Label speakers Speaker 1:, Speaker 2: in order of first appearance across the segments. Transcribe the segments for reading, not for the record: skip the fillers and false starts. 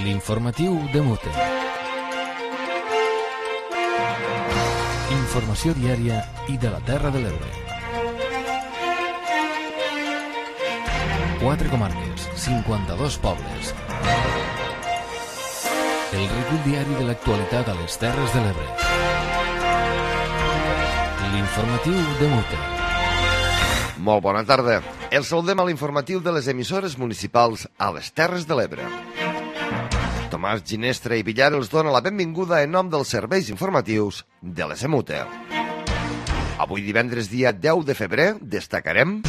Speaker 1: L'informatiu de Mute. Informació diària i de la Terra de l'Ebre. 4 comarques, 52 pobles. El recull diari de l'actualitat a les Terres de l'Ebre. L'informatiu de Mute.
Speaker 2: Molt bona tarda. Els saludem a l'informatiu de les emissores municipals a les Terres de l'Ebre. Tomàs Ginestra i Villar els dona la benvinguda en nom dels serveis informatius de l'ESEMUTE. Avui divendres dia 10 de febrer destacarem: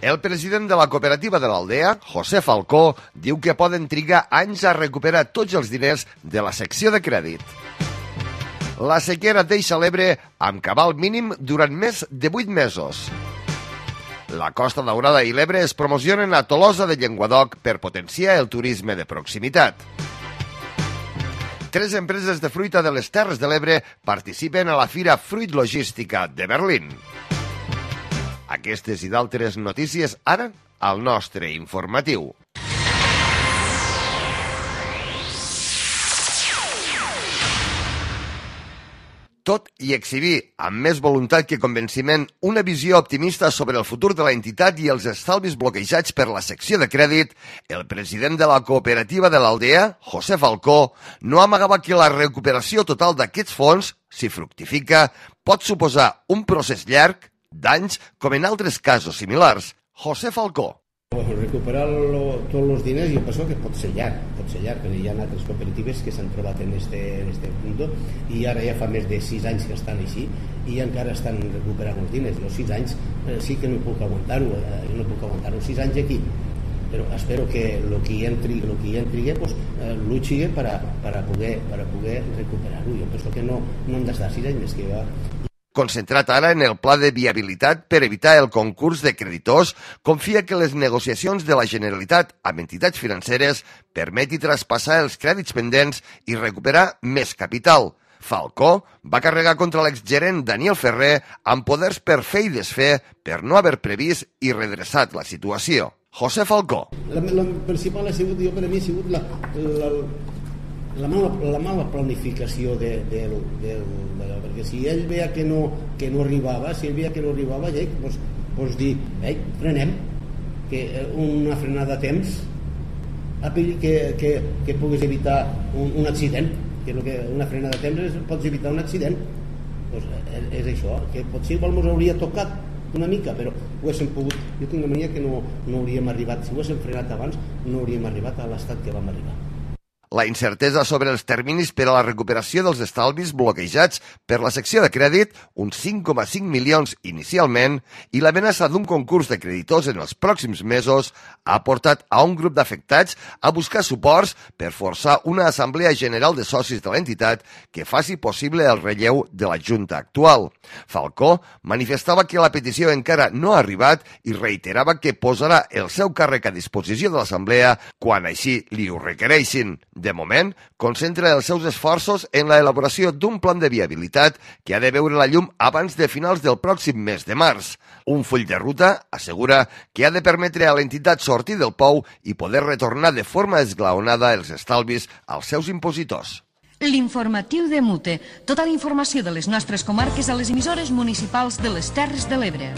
Speaker 2: el president de la cooperativa de l'Aldea, José Falcó, diu que poden trigar anys a recuperar tots els diners de la secció de crèdit. La sequera deixa l'Ebre amb cabal mínim durant més de 8 mesos. La Costa Daurada i l'Ebre es promocionen a Tolosa de Llenguadoc per potenciar el turisme de proximitat. 3 empreses de fruita de les Terres de l'Ebre participen a la Fira Fruit Logística de Berlín. Aquestes i d'altres notícies ara al nostre informatiu. Tot i exhibir, amb més voluntat que convenciment, una visió optimista sobre el futur de l'entitat i els estalvis bloquejats per la secció de crèdit, el president de la cooperativa de l'Aldea, José Falcó, no amagava que la recuperació total d'aquests fons, si fructifica, pot suposar un procés llarg d'anys com en altres casos similars. José Falcó.
Speaker 3: Recuperar tots els diners jo penso que pot ser llarg, perquè hi ha altres cooperatives que s'han trobat en este punt i ara ja fa més de 6 anys que estan així i encara estan recuperant els diners. Els 6 anys sí que no puc aguantar-ho, 6 anys aquí, però espero que el que hi entri pues, luchi para poder recuperar-ho. Jo penso que no hem d'estar 6 anys més que va.
Speaker 2: Concentrat ara en el pla de viabilitat per evitar el concurs de creditors, confia que les negociacions de la Generalitat amb entitats financeres permeti traspassar els crèdits pendents i recuperar més capital. Falcó va carregar contra l'exgerent Daniel Ferrer amb poders per fer i desfer per no haver previst i redreçat la situació. José Falcó.
Speaker 3: La principal ha sigut, jo per a mi, ha sigut la mala planificació perquè si ell veia que no arribava, ja pues dir, frenem, que una frenada a temps que puguis evitar un accident, que una frenada a temps pots evitar un accident, pues és això, que potser igual ens hauria tocat una mica, però ho haguéssim pogut. Jo tinc la mania que no hauríem arribat, si ho haguéssim frenat abans no hauríem arribat a l'estat que vam arribar.
Speaker 2: La incertesa sobre els terminis per a la recuperació dels estalvis bloquejats per la secció de crèdit, uns 5,5 milions inicialment, i l'amenaça d'un concurs de creditors en els pròxims mesos ha portat a un grup d'afectats a buscar suports per forçar una assemblea general de socis de l'entitat que faci possible el relleu de la Junta actual. Falcó manifestava que la petició encara no ha arribat i reiterava que posarà el seu càrrec a disposició de l'assemblea quan així li ho requereixin. De moment, concentra els seus esforços en l'elaboració d'un plan de viabilitat que ha de veure la llum abans de finals del pròxim mes de març. Un full de ruta, assegura, que ha de permetre a l'entitat sortir del pou i poder retornar de forma esglaonada els estalvis als seus impositors.
Speaker 4: L'informatiu de Mute. Tota la informació de les nostres comarques a les emissores municipals de les Terres de l'Ebre.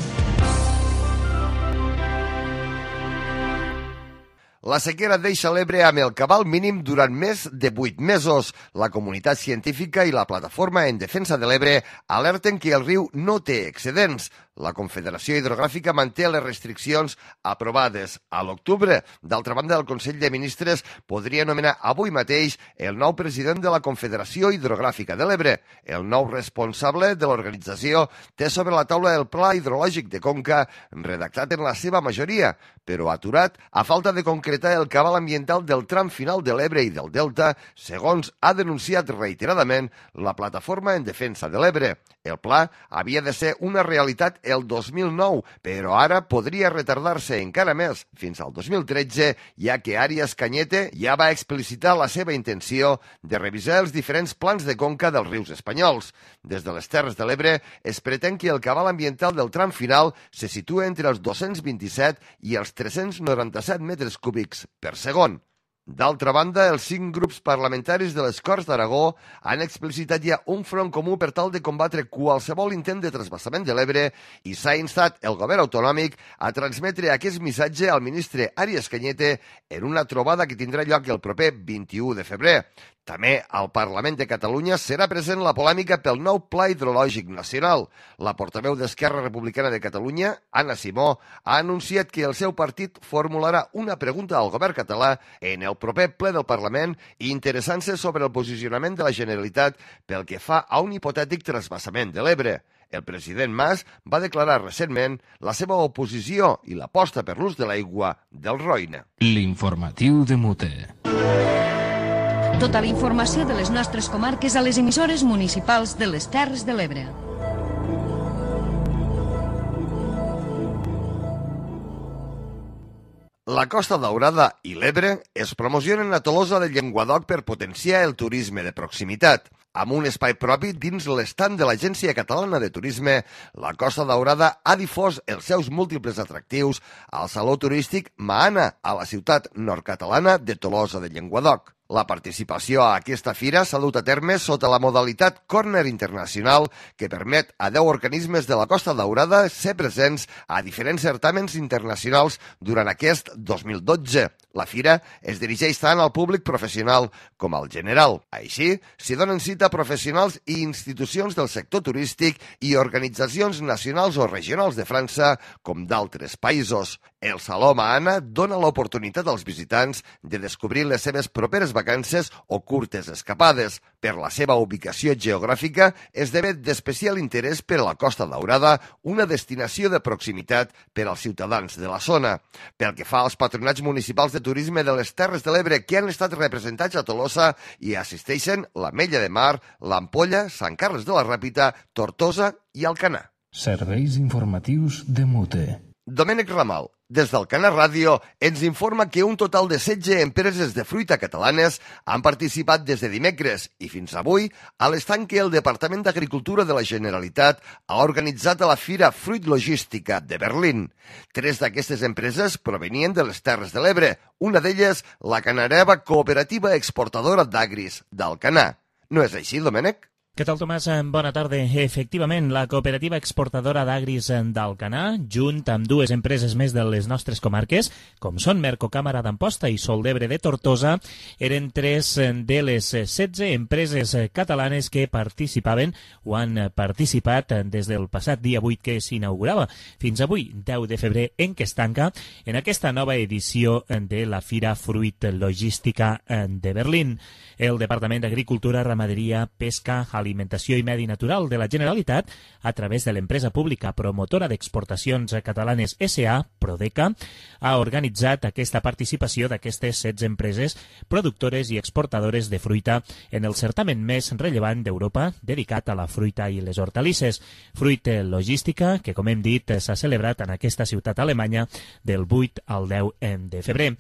Speaker 2: La sequera deixa l'Ebre amb el cabal mínim durant més de 8 mesos. La comunitat científica i la plataforma en defensa de l'Ebre alerten que el riu no té excedents. La Confederació Hidrogràfica manté les restriccions aprovades a l'octubre. D'altra banda, el Consell de Ministres podria nomenar avui mateix el nou president de la Confederació Hidrogràfica de l'Ebre. El nou responsable de l'organització té sobre la taula el Pla Hidrològic de Conca, redactat en la seva majoria, però aturat a falta de concretar el cabal ambiental del tram final de l'Ebre i del Delta, segons ha denunciat reiteradament la Plataforma en Defensa de l'Ebre. El pla havia de ser una realitat el 2009, però ara podria retardar-se encara més fins al 2013, ja que Àries Cañete ja va explicitar la seva intenció de revisar els diferents plans de conca dels rius espanyols. Des de les Terres de l'Ebre es pretén que el cabal ambiental del tram final se situa entre els 227 i els 397 metres cúbics per segon. D'altra banda, els 5 grups parlamentaris de les Corts d'Aragó han explicitat ja un front comú per tal de combatre qualsevol intent de trasbassament de l'Ebre i s'ha instat el govern autonòmic a transmetre aquest missatge al ministre Arias Cañete en una trobada que tindrà lloc el proper 21 de febrer. També al Parlament de Catalunya serà present la polèmica pel nou Pla Hidrològic Nacional. La portaveu d'Esquerra Republicana de Catalunya, Anna Simó, ha anunciat que el seu partit formularà una pregunta al govern català en el proper ple del Parlament interessant-se sobre el posicionament de la Generalitat pel que fa a un hipotètic trasbassament de l'Ebre. El president Mas va declarar recentment la seva oposició i l'aposta per l'ús de l'aigua del Roine.
Speaker 1: L'informatiu de Mute.
Speaker 4: Tota la informació de les nostres comarques a les emissores municipals de les Terres de l'Ebre.
Speaker 2: La Costa Daurada i l'Ebre es promocionen a Tolosa de Llenguadoc per potenciar el turisme de proximitat. Amb un espai propi dins l'estand de l'Agència Catalana de Turisme, la Costa Daurada ha difós els seus múltiples atractius al Saló Turístic Maana, a la ciutat nord-catalana de Tolosa de Llenguadoc. La participació a aquesta fira s'ha dut a terme sota la modalitat Corner Internacional, que permet a 10 organismes de la Costa Daurada ser presents a diferents certàmens internacionals durant aquest 2012. La fira es dirigeix tant al públic professional com al general. Així, s'hi donen cita professionals i institucions del sector turístic i organitzacions nacionals o regionals de França com d'altres països. El Saló Maana dona l'oportunitat als visitants de descobrir les seves properes vacances o curtes escapades. Per la seva ubicació geogràfica, esdevé d'especial interès per a la Costa Daurada, una destinació de proximitat per als ciutadans de la zona. Pel que fa als patronats municipals de turisme de les Terres de l'Ebre que han estat representats a Tolosa, hi assisteixen l'Ametlla de Mar, l'Ampolla, Sant Carles de la Ràpita, Tortosa i Alcanar.
Speaker 1: Serveis informatius de Mute.
Speaker 2: Domènec Ramal, des d'Alcanar Ràdio, ens informa que un total de 16 empreses de fruita catalanes han participat des de dimecres i fins avui a l'estand que el Departament d'Agricultura de la Generalitat ha organitzat a la Fira Fruit Logística de Berlín. 3 d'aquestes empreses provenien de les Terres de l'Ebre, una d'elles la Canareva Cooperativa Exportadora d'Agris d'Alcanar. No és així, Domènec?
Speaker 5: Què tal, Tomàs? Bona tarda. Efectivament, la cooperativa exportadora d'Agris d'Alcanar, junt amb 2 empreses més de les nostres comarques, com són Mercocàmera d'Amposta i Sol d'Ebre de Tortosa, eren 3 de les 16 empreses catalanes que participaven o han participat des del passat dia 8 que s'inaugurava fins avui, 10 de febrer, en què es tanca en aquesta nova edició de la Fira Fruit Logística de Berlín. El Departament d'Agricultura, Ramaderia, Pesca, Alimentació i Medi Natural de la Generalitat, a través de l'empresa pública promotora d'exportacions catalanes SA, Prodeca, ha organitzat aquesta participació d'aquestes 16 empreses productores i exportadores de fruita en el certamen més rellevant d'Europa dedicat a la fruita i les hortalisses. Fruit Logística, que com hem dit s'ha celebrat en aquesta ciutat alemanya del 8 al 10 de febrer.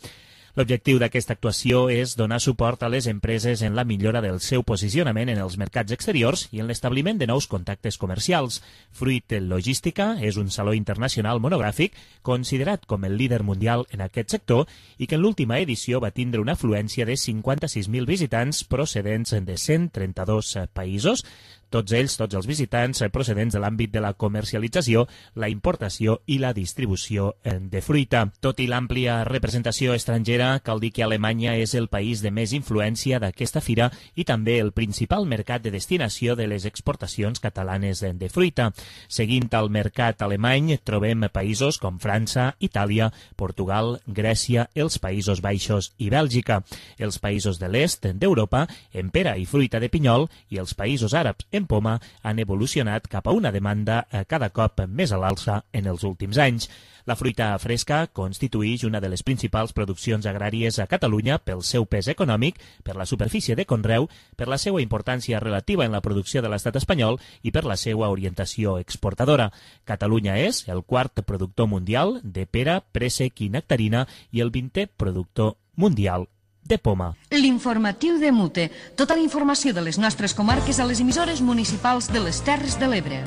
Speaker 5: L'objectiu d'aquesta actuació és donar suport a les empreses en la millora del seu posicionament en els mercats exteriors i en l'establiment de nous contactes comercials. Fruit Logística és un saló internacional monogràfic considerat com el líder mundial en aquest sector i que en l'última edició va tindre una afluència de 56.000 visitants procedents de 132 països, tots els visitants procedents de l'àmbit de la comercialització, la importació i la distribució de fruita. Tot i l'àmplia representació estrangera, cal dir que Alemanya és el país de més influència d'aquesta fira i també el principal mercat de destinació de les exportacions catalanes de fruita. Seguint el mercat alemany, trobem països com França, Itàlia, Portugal, Grècia, els Països Baixos i Bèlgica. Els països de l'est d'Europa, en pera i fruita de pinyol, i els països àrabs en poma han evolucionat cap a una demanda cada cop més a l'alça en els últims anys. La fruita fresca constituïx una de les principals produccions agràries a Catalunya pel seu pes econòmic, per la superfície de conreu, per la seva importància relativa en la producció de l'estat espanyol i per la seva orientació exportadora. Catalunya és el 4è productor mundial de pera, préssec i nectarina i el 20è productor mundial de poma.
Speaker 4: L'informatiu de Mute. Tota la informació de les nostres comarques a les emissores municipals de les Terres de l'Ebre.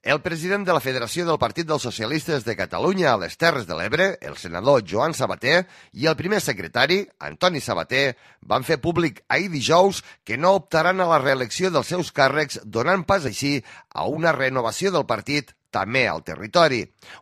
Speaker 2: El president de la Federació del Partit dels Socialistes de Catalunya a les Terres de l'Ebre, el senador Joan Sabater, i el primer secretari, Antoni Sabater, van fer públic ahir dijous que no optaran a la reelecció dels seus càrrecs, donant pas així a una renovació del partit també al territori.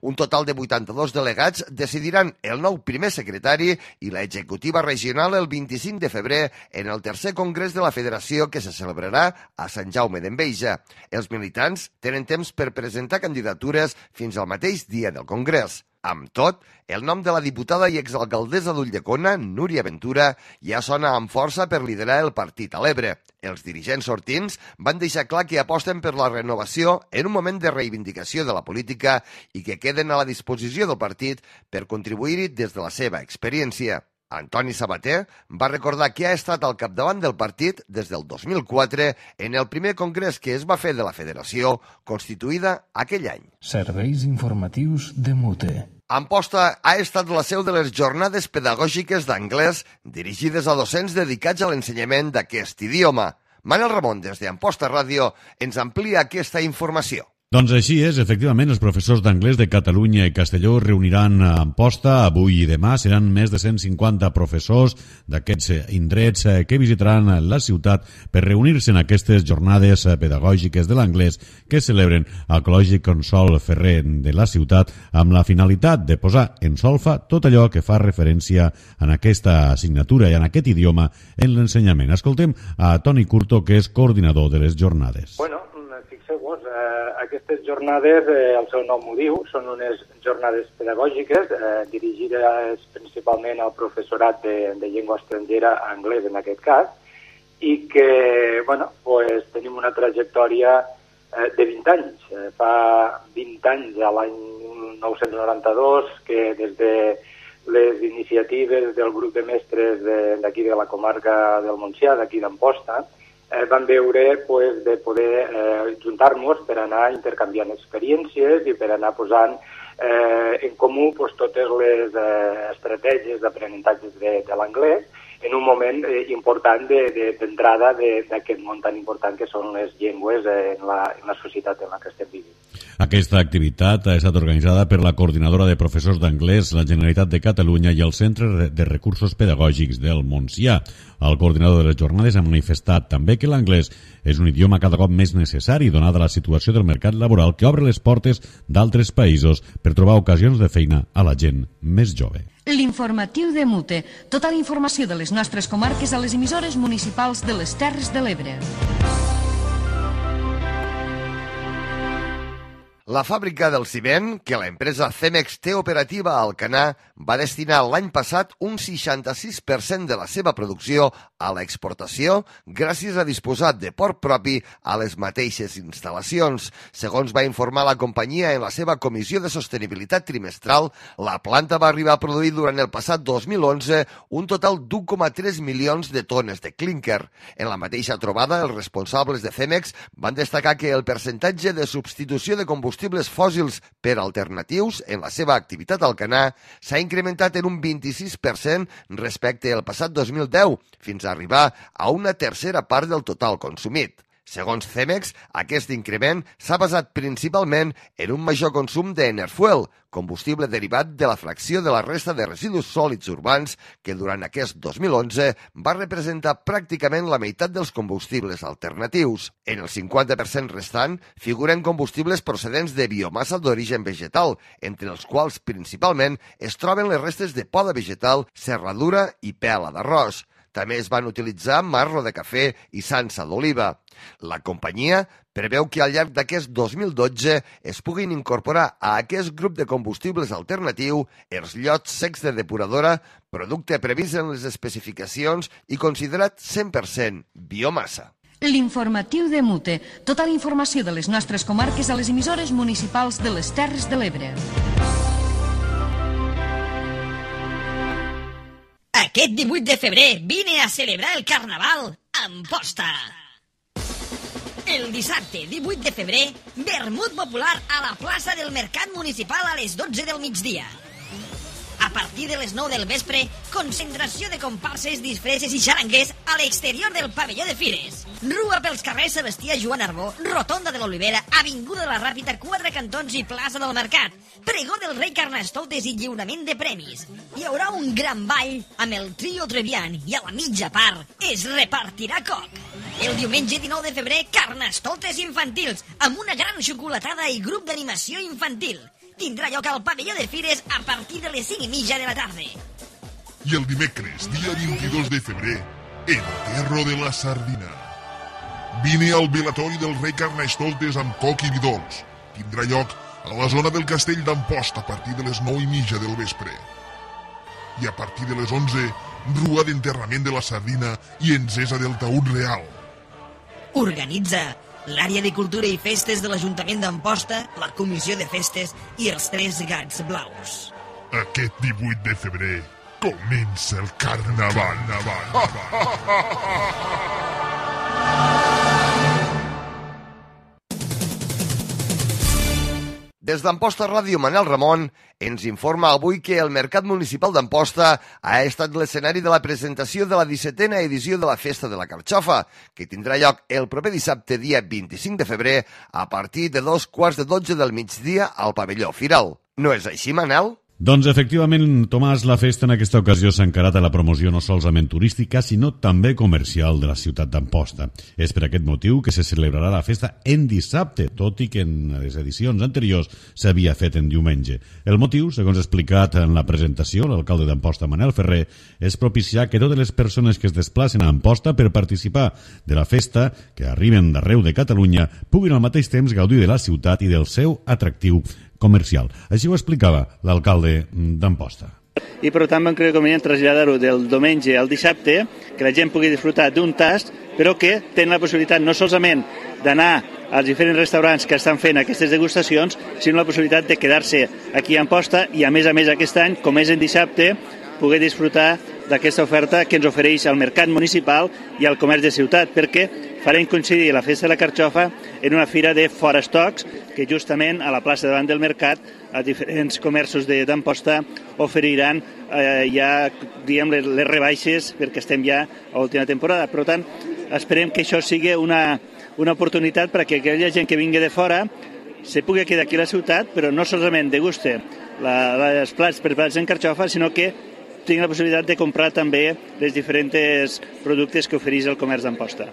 Speaker 2: Un total de 82 delegats decidiran el nou primer secretari i l'executiva regional el 25 de febrer en el tercer congrés de la Federació que se celebrarà a Sant Jaume d'Enveja. Els militants tenen temps per presentar candidatures fins al mateix dia del congrés. Amb tot, el nom de la diputada i exalcaldessa d'Ulldecona, Núria Ventura, ja sona amb força per liderar el partit a l'Ebre. Els dirigents sortints van deixar clar que aposten per la renovació en un moment de reivindicació de la política i que queden a la disposició del partit per contribuir-hi des de la seva experiència. Antoni Sabater va recordar que ha estat al capdavant del partit des del 2004 en el primer congrés que es va fer de la Federació, constituïda aquell any.
Speaker 1: Serveis informatius de MUTE.
Speaker 2: Amposta ha estat la seu de les jornades pedagògiques d'anglès dirigides a docents dedicats a l'ensenyament d'aquest idioma. Manel Ramon, des d'Amposta Ràdio, ens amplia aquesta informació.
Speaker 6: Doncs així és, efectivament, els professors d'anglès de Catalunya i Castelló reuniran a Amposta avui i demà. Seran més de 150 professors d'aquests indrets que visitaran la ciutat per reunir-se en aquestes jornades pedagògiques de l'anglès que celebren al Col·legi Consol Ferrer de la ciutat amb la finalitat de posar en solfa tot allò que fa referència en aquesta assignatura i en aquest idioma en l'ensenyament. Escoltem a Toni Curto, que és coordinador de les jornades.
Speaker 7: Bueno, fixeu-vos, aquestes jornades, el seu nom ho diu, són unes jornades pedagògiques dirigides principalment al professorat de llengua estrangera, anglès en aquest cas, i que, bueno, pues, tenim una trajectòria de 20 anys. Fa 20 anys, a l'any 1992, que des de les iniciatives del grup de mestres d'aquí de la comarca del Montsià, d'aquí d'Amposta, vam veure pues, de poder juntar-nos per anar intercanviant experiències i per anar posant en comú pues, totes les estratègies d'aprenentatges de l'anglès en un moment important d'entrada d'aquest món tan important que són les llengües en la societat en la que estem vivint.
Speaker 6: Aquesta activitat ha estat organitzada per la Coordinadora de Professors d'Anglès, la Generalitat de Catalunya i el Centre de Recursos Pedagògics del Montsià. El coordinador de les jornades ha manifestat també que l'anglès és un idioma cada cop més necessari donada la situació del mercat laboral que obre les portes d'altres països per trobar ocasions de feina a la gent més jove.
Speaker 4: L'informatiu de MUTE. Tota la informació de les nostres comarques a les emissores municipals de les Terres de l'Ebre.
Speaker 2: La fàbrica del ciment, que la empresa Cemex té operativa a Alcanar, va destinar l'any passat un 66% de la seva producció a l'exportació gràcies a disposar de port propi a les mateixes instal·lacions. Segons va informar la companyia en la seva comissió de sostenibilitat trimestral, la planta va arribar a produir durant el passat 2011 un total d'1,3 milions de tones de clínquer. En la mateixa trobada, els responsables de Cemex van destacar que el percentatge de substitució de combustibles fòssils per alternatius en la seva activitat a Alcanar s'ha incrementat en un 26% respecte al passat 2010, fins a arribar a una tercera part del total consumit. Segons Cemex, aquest increment s'ha basat principalment en un major consum d'Enerfuel, combustible derivat de la fracció de la resta de residus sòlids urbans que durant aquest 2011 va representar pràcticament la meitat dels combustibles alternatius. En el 50% restant figuren combustibles procedents de biomassa d'origen vegetal, entre els quals principalment es troben les restes de poda vegetal, serradura i pela d'arròs. També es van utilitzar marro de cafè i sansa d'oliva. La companyia preveu que al llarg d'aquest 2012 es puguin incorporar a aquest grup de combustibles alternatiu els llots secs de depuradora, producte previst en les especificacions i considerat 100% biomassa.
Speaker 4: L'informatiu de MUTE. Tota la informació de les nostres comarques a les emissores municipals de les Terres de l'Ebre.
Speaker 8: Aquest 18 de febrer vine a celebrar el Carnaval a Amposta. El dissabte 18 de febrer, vermut popular a la plaça del Mercat Municipal a les 12 del migdia. A partir de les 9 del vespre, concentració de comparses, disfresses i xaranguers a l'exterior del pavelló de Fires. Rua pels carrers Sebastià Joan Arbó, Rotonda de l'Olivera, Avinguda de la Ràpita, Quatre Cantons i Plaça del Mercat. Pregó del rei Carnestoltes i lliurament de premis. Hi haurà un gran ball amb el trio Trevian i a la mitja part es repartirà coc. El diumenge 19 de febrer, Carnestoltes infantils, amb una gran xocolatada i grup d'animació infantil. Tindrà lloc al pavelló de Fires a partir de les 5:30 de la tarda.
Speaker 9: I el dimecres, dia 22 de febrer, Enterro de la Sardina. Vine al velatori del rei Carnestoltes amb coc i vi dolç. Tindrà lloc a la zona del castell d'Amposta a partir de les 9:30 del vespre. I a partir de les 11, rua d'enterrament de la sardina i encesa del taüt real.
Speaker 8: Organitza l'àrea de cultura i festes de l'Ajuntament d'Amposta, la Comissió de Festes i els Tres Gats Blaus.
Speaker 9: Aquest 18 de febrer comença el Carnaval.
Speaker 2: Des d'Amposta Ràdio, Manel Ramon ens informa avui que el Mercat Municipal d'Amposta ha estat l'escenari de la presentació de la 17a edició de la Festa de la Carxofa, que tindrà lloc el proper dissabte, dia 25 de febrer, a partir de 2:15 del migdia al pavelló Firal. No és així, Manel?
Speaker 6: Doncs efectivament, Tomàs, la festa en aquesta ocasió s'ha encarat a la promoció no solament turística, sinó també comercial de la ciutat d'Amposta. És per aquest motiu que se celebrarà la festa en dissabte, tot i que en les edicions anteriors s'havia fet en diumenge. El motiu, segons explicat en la presentació, l'alcalde d'Amposta, Manel Ferrer, és propiciar que totes les persones que es desplacen a Amposta per participar de la festa, que arriben d'arreu de Catalunya, puguin al mateix temps gaudir de la ciutat i del seu atractiu comercial. Així ho explicava l'alcalde d'Amposta.
Speaker 10: I per tant vam creure convenient traslladar-ho del diumenge al dissabte, que la gent pugui disfrutar d'un tast, però que tenen la possibilitat no solament d'anar als diferents restaurants que estan fent aquestes degustacions, sinó la possibilitat de quedar-se aquí a Amposta i a més aquest any, com és en dissabte, poder disfrutar d'aquesta oferta que ens ofereix el Mercat Municipal i el Comerç de Ciutat, perquè farem coincidir la Festa de la Carxofa en una fira de forestocs que justament a la plaça davant del mercat els diferents comerços d'Amposta oferiran ja diguem, les rebaixes perquè estem ja a l'última temporada. Per tant, esperem que això sigui una oportunitat perquè aquella gent que vingui de fora se pugui quedar aquí a la ciutat, però no solament deguste els plats preparats en carxofa, sinó que tingui la possibilitat de comprar també els diferents productes que ofereix el comerç d'Amposta.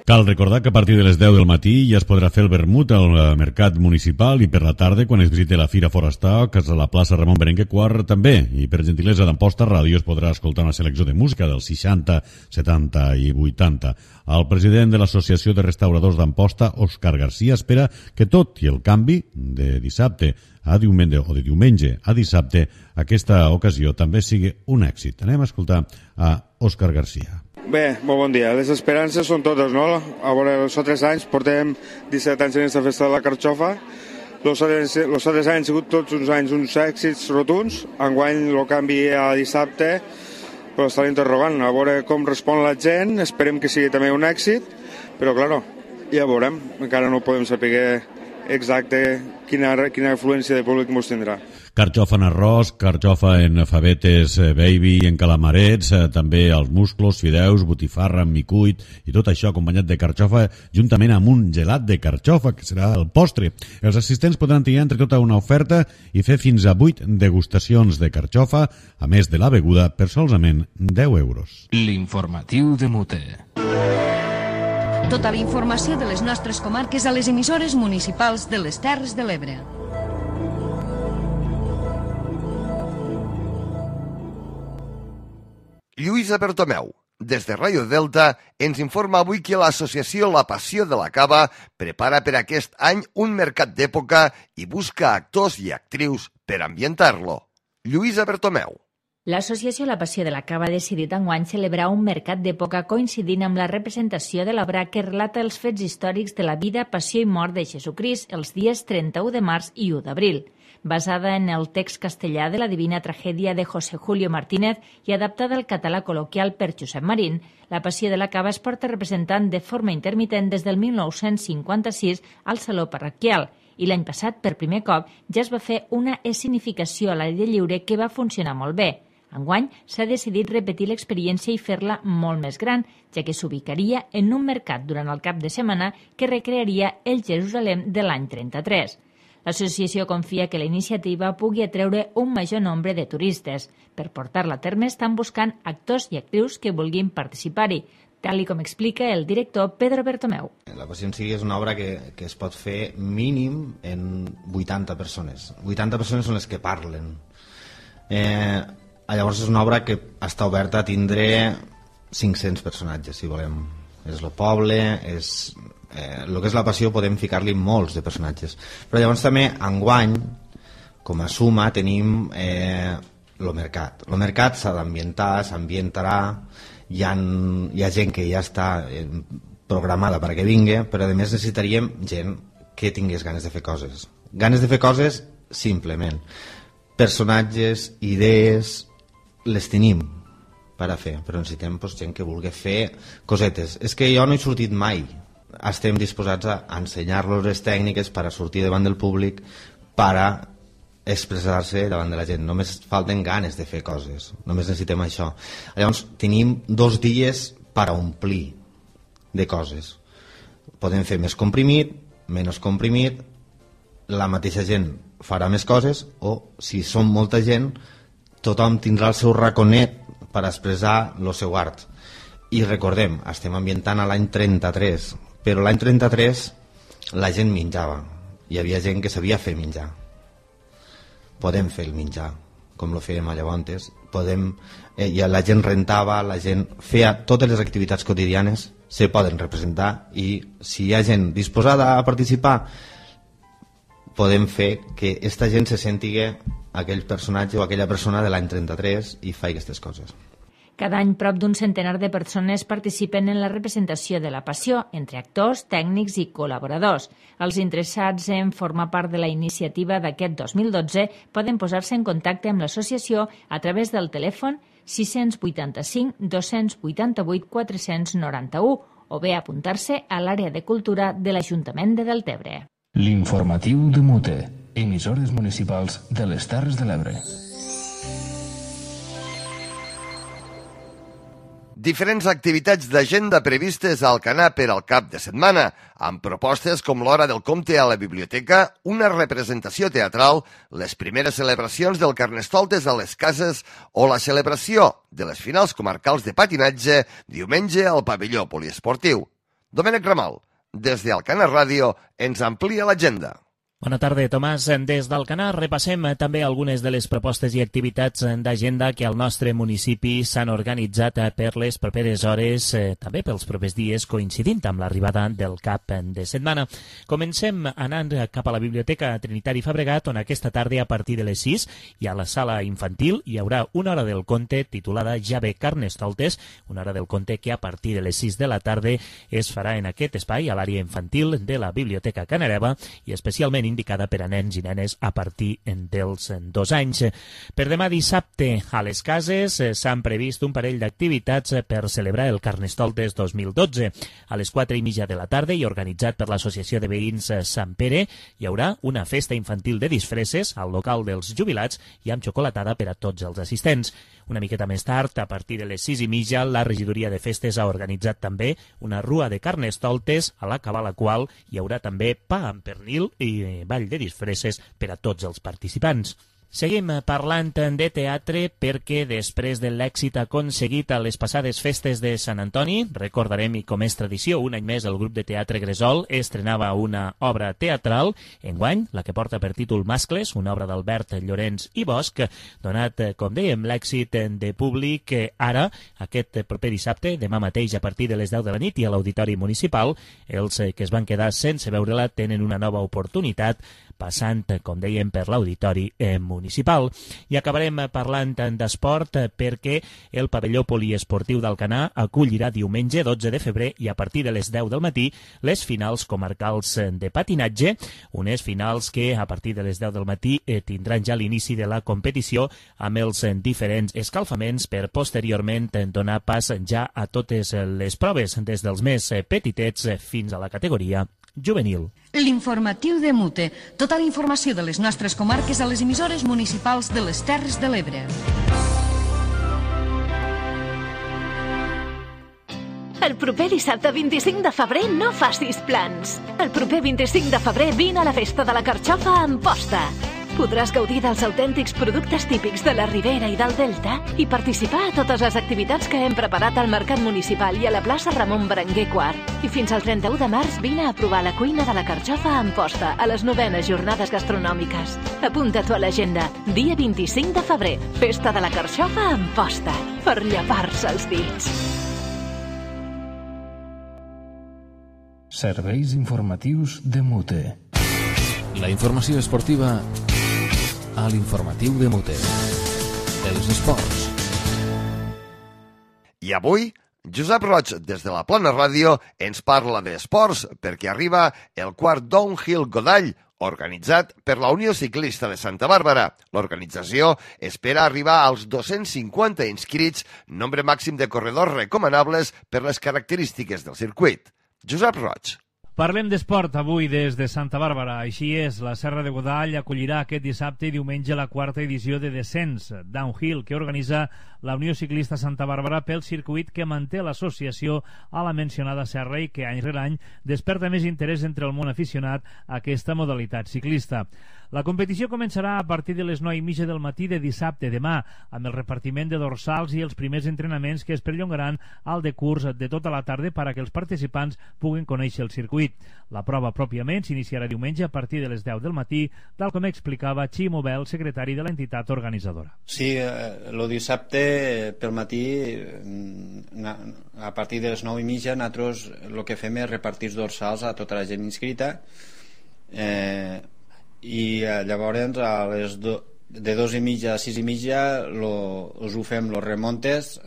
Speaker 6: Cal recordar que a partir de les 10 del matí ja es podrà fer el vermut al mercat municipal i per la tarda, quan es visite la Fira Forestal, que és a la plaça Ramon Berenguer IV també. I per gentilesa d'Amposta Ràdio es podrà escoltar una selecció de música dels 60, 70 i 80. El president de l'Associació de Restauradors d'Amposta, Òscar Garcia, espera que tot i el canvi de dissabte a diumenge o de diumenge a dissabte, aquesta ocasió també sigui un èxit. Anem a escoltar a Òscar Garcia.
Speaker 11: Bé, molt bon dia. Les esperances són totes, no? A veure, els altres anys portem 17 anys en aquesta festa de la Carxofa. Els altres anys han sigut tots uns anys uns èxits rotuns. Enguany el canvi a dissabte, però està interrogant. A veure com respon la gent. Esperem que sigui també un èxit, però, clar, ja veurem. Encara no podem saber exacte quina afluència de públic ens tindrà.
Speaker 6: Carxofa en arròs, carxofa en favetes baby, en calamarets, també els musclos, fideus, botifarra, micuit i tot això acompanyat de carxofa juntament amb un gelat de carxofa, que serà el postre. Els assistents podran triar entre tota una oferta i fer fins a 8 degustacions de carxofa, a més de la beguda, per solament 10 euros.
Speaker 1: L'informatiu de Mute.
Speaker 4: Tota la informació de les nostres comarques a les emissores municipals de les Terres de l'Ebre.
Speaker 2: Lluïsa Bertomeu, des de Ràdio Delta, ens informa avui que l'associació La Passió de la Cava prepara per aquest any un mercat d'època i busca actors i actrius per ambientar-lo. Lluïsa Bertomeu.
Speaker 12: L'associació La Passió de la Cava ha decidit enguany celebrar un mercat d'època coincidint amb la representació de l'obra que relata els fets històrics de la vida, passió i mort de Jesucrist els dies 31 de març i 1 d'abril. Basada en el text castellà de la Divina Tragèdia de José Julio Martínez i adaptada al català col·loquial per Josep Marín, La Passió de la Cava es porta representant de forma intermitent des del 1956 al Saló Parroquial i l'any passat, per primer cop, ja es va fer una escenificació a l'aire lliure que va funcionar molt bé. Enguany s'ha decidit repetir l'experiència i fer-la molt més gran, ja que s'ubicaria en un mercat durant el cap de setmana que recrearia el Jerusalem de l'any 33. L'associació confia que la iniciativa pugui atreure un major nombre de turistes. Per portar-la a terme estan buscant actors i actrius que vulguin participar-hi, tal com explica el director Pedro Bertomeu.
Speaker 13: La Passió en si és una obra que es pot fer mínim en 80 persones. 80 persones són les que parlen. Llavors és una obra que està oberta a tindre 500 personatges, si volem. És el poble, és... el que és la Passió podem ficar-li molts de personatges. Però llavors també, enguany, com a suma, tenim el mercat. El mercat s'ha d'ambientar, s'ambientarà, hi ha gent que ja està programada perquè vingui, però a més necessitaríem gent que tingués ganes de fer coses. Ganes de fer coses, simplement. Personatges, idees... les tenim per a fer, però necessitem gent que vulgui fer cosetes. És que jo no he sortit mai. Estem disposats a ensenyar-los les tècniques per a sortir davant del públic, per a expressar-se davant de la gent. Només falten ganes de fer coses, només necessitem això. Llavors tenim 2 dies per a omplir de coses. Podem fer més comprimit, menys comprimit, la mateixa gent farà més coses, o si som molta gent, tothom tindrà el seu raconet per expressar el seu art. I recordem, estem ambientant a l'any 33, però l'any 33 la gent menjava. Hi havia gent que sabia fer menjar. Podem fer el menjar, com lo fèiem a Llavontes. La gent rentava, la gent feia totes les activitats quotidianes, se poden representar, i si hi ha gent disposada a participar, podem fer que aquesta gent se sentigui aquell personatge o aquella persona de l'any 33 i fa aquestes coses.
Speaker 12: Cada any, prop d'un centenar de persones participen en la representació de la Passió, entre actors, tècnics i col·laboradors. Els interessats en formar part de la iniciativa d'aquest 2012 poden posar-se en contacte amb l'associació a través del telèfon 685 288 491 o bé apuntar-se a l'àrea de cultura de l'Ajuntament de Deltebre.
Speaker 1: L'informatiu de Mute, emissores municipals de les Terres de l'Ebre.
Speaker 2: Diferents activitats d'agenda previstes al Alcanar per al cap de setmana, amb propostes com l'Hora del Comte a la biblioteca, una representació teatral, les primeres celebracions del Carnestoltes a les cases o la celebració de les finals comarcals de patinatge diumenge al pavelló poliesportiu. Domènec Ramal, des d'Alcanar Ràdio, ens amplia l'agenda.
Speaker 5: Bona tarda, Tomàs. Des d'Alcanar repassem també algunes de les propostes i activitats d'agenda que al nostre municipi s'han organitzat per les properes hores, també pels propers dies, coincidint amb l'arribada del cap de setmana. Comencem anant cap a la Biblioteca Trinitari Fabregat, on aquesta tarda a partir de les 6 i a la sala infantil hi haurà una hora del conte titulada Ja ve Carnestoltes, una hora del conte que a partir de les 6 de la tarda es farà en aquest espai, a l'àrea infantil de la Biblioteca Canareva, i especialment indicada per a nens i nenes a partir dels 2 anys. Per demà dissabte a les cases s'han previst un parell d'activitats per celebrar el Carnestoltes 2012. A les 4:30 de la tarda i organitzat per l'Associació de Veïns Sant Pere hi haurà una festa infantil de disfresses al local dels jubilats i amb xocolatada per a tots els assistents. Una miqueta més tard, a partir de les 6:30, la regidoria de festes ha organitzat també una rua de Carnestoltes, a l'acabar la qual hi haurà també pa amb pernil i ball de disfresses per a tots els participants. Seguim parlant de teatre perquè després de l'èxit aconseguit a les passades festes de Sant Antoni, recordarem, i com és tradició, un any més el grup de teatre Gresol estrenava una obra teatral, enguany, la que porta per títol Mascles, una obra d'Albert Llorenç i Bosch, donat, com dèiem, l'èxit de públic, ara, aquest proper dissabte, demà mateix a partir de les 10 de la nit i a l'Auditori Municipal, els que es van quedar sense veure-la tenen una nova oportunitat passant, com dèiem, per l'Auditori Municipal. I acabarem parlant d'esport perquè el pavelló poliesportiu d'Alcanar acollirà diumenge 12 de febrer i a partir de les 10 del matí les finals comarcals de patinatge, unes finals que a partir de les 10 del matí tindran ja l'inici de la competició amb els diferents escalfaments per posteriorment donar pas ja a totes les proves, des dels més petitets fins a la categoria juvenil.
Speaker 4: L'informatiu de Mute. Tota la informació de les nostres comarques a les emissores municipals de les Terres de l'Ebre.
Speaker 14: El proper dissabte 25 de febrer no facis plans. El proper 25 de febrer vine a la festa de la carxofa a Amposta. Podràs gaudir dels autèntics productes típics de la Ribera i del Delta i participar a totes les activitats que hem preparat al Mercat Municipal i a la plaça Ramon Berenguer IV. I fins al 31 de març vine a provar la cuina de la carxofa a Amposta a les 9enes jornades gastronòmiques. Apunta-t'ho a l'agenda. Dia 25 de febrer, festa de la carxofa a Amposta. Per llepar-se els dits.
Speaker 1: Serveis informatius de Mute.
Speaker 15: La informació esportiva a l'informatiu de Mute. Els esports.
Speaker 2: I avui, Josep Roig, des de la Plana Ràdio, ens parla d'esports perquè arriba el quart Downhill Godall, organitzat per la Unió Ciclista de Santa Bàrbara. L'organització espera arribar als 250 inscrits, nombre màxim de corredors recomanables per les característiques del circuit. Josep Roig.
Speaker 16: Parlem d'esport avui des de Santa Bàrbara. Així és, la Serra de Godall acollirà aquest dissabte i diumenge la quarta edició de Descens Downhill que organitza la Unió Ciclista Santa Bàrbara pel circuit que manté l'associació a la mencionada serra i que any rere any desperta més interès entre el món aficionat a aquesta modalitat ciclista. La competició començarà a partir de les 9:30 del matí de dissabte demà, amb el repartiment de dorsals i els primers entrenaments que es perllongaran al decurs de tota la tarda per a que els participants puguin conèixer el circuit. La prova pròpiament s'iniciarà diumenge a partir de les 10 del matí, tal com explicava Ximo Bel, secretari de l'entitat organitzadora.
Speaker 17: Sí, el dissabte pel matí, a partir de les 9:30, nosaltres el que fem és repartir dorsals a tota la gent inscrita, i llavors a les de 2:30 a 6:30 us ho fem los remontes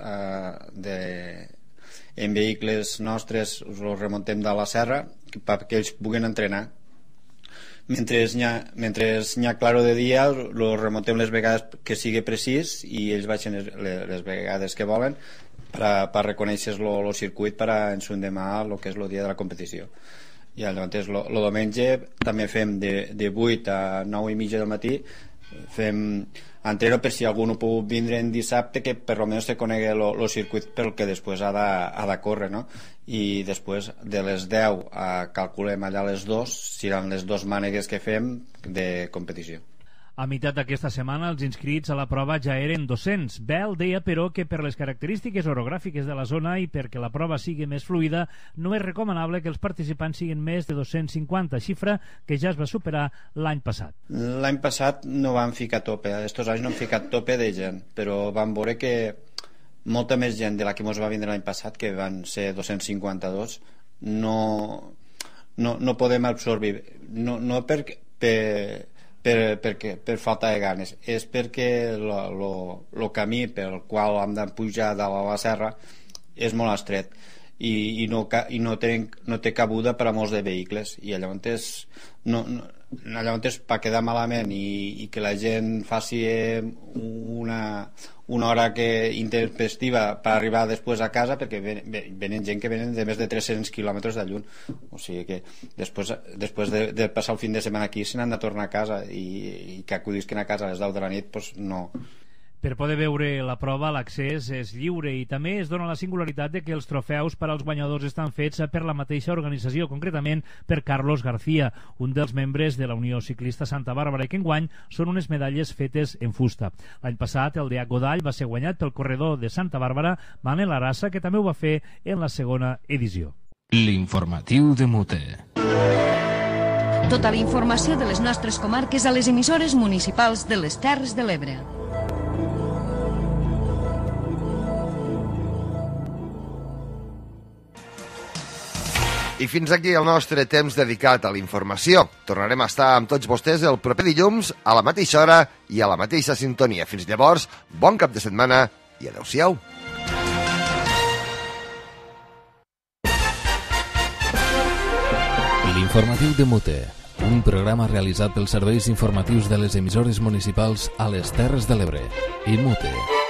Speaker 17: en vehicles nostres, us los remontem de la serra perquè ells puguin entrenar. Mentre n'hi ha claro de dia, los remontem les vegades que sigui precís i ells baixen les vegades que volen per reconèixer el circuit per a ensundemar el que és el dia de la competició. I llavors el diumenge també fem de 8 a 9:30 del matí, fem entreno per si algú no pot vindre en dissabte, que per almenys se conegui el circuit pel que després ha de córrer, no? I després de les 10 calculem allà les 2, seran les 2 mànegues que fem de competició.
Speaker 16: A meitat d'aquesta setmana els inscrits a la prova ja eren 200. Bell deia, però, que per les característiques orogràfiques de la zona i perquè la prova sigui més fluida, no és recomanable que els participants siguin més de 250, xifra que ja es va superar l'any passat.
Speaker 17: L'any passat no vam ficar tope, estos anys no hem ficat tope de gent, però vam veure que molta més gent de la que ens va vindre l'any passat, que van ser 252, no podem absorbir, no per falta de ganes, és perquè el camí pel qual hem de pujar de la serra és molt estret i no té cabuda per a molts de vehicles, i llavors per quedar malament i que la gent faci una hora intempestiva per arribar després a casa, perquè venen gent que venen de més de 300 quilòmetres de lluny, o sigui que després de passar el fin de setmana aquí se n'han de tornar a casa, i que acudisquen a casa a les 10 de la nit, doncs no.
Speaker 16: Per poder veure la prova, l'accés és lliure i també es dona la singularitat de que els trofeus per als guanyadors estan fets per la mateixa organització, concretament per Carlos García, un dels membres de la Unió Ciclista Santa Bàrbara, i que enguany són unes medalles fetes en fusta. L'any passat el DH Godall va ser guanyat pel corredor de Santa Bàrbara, Manel Arassa, que també ho va fer en la segona edició.
Speaker 1: L'informatiu de Mute.
Speaker 4: Tota la informació de les nostres comarques a les emissores municipals de les Terres de l'Ebre.
Speaker 2: I fins aquí el nostre temps dedicat a la informació. Tornarem a estar amb tots vostès el proper dilluns a la mateixa hora i a la mateixa sintonia. Fins llavors, bon cap de setmana i adeu-siau.
Speaker 15: L'informatiu de Mute, un programa realitzat pels serveis informatius de les emissores municipals a les Terres de l'Ebre i Mute.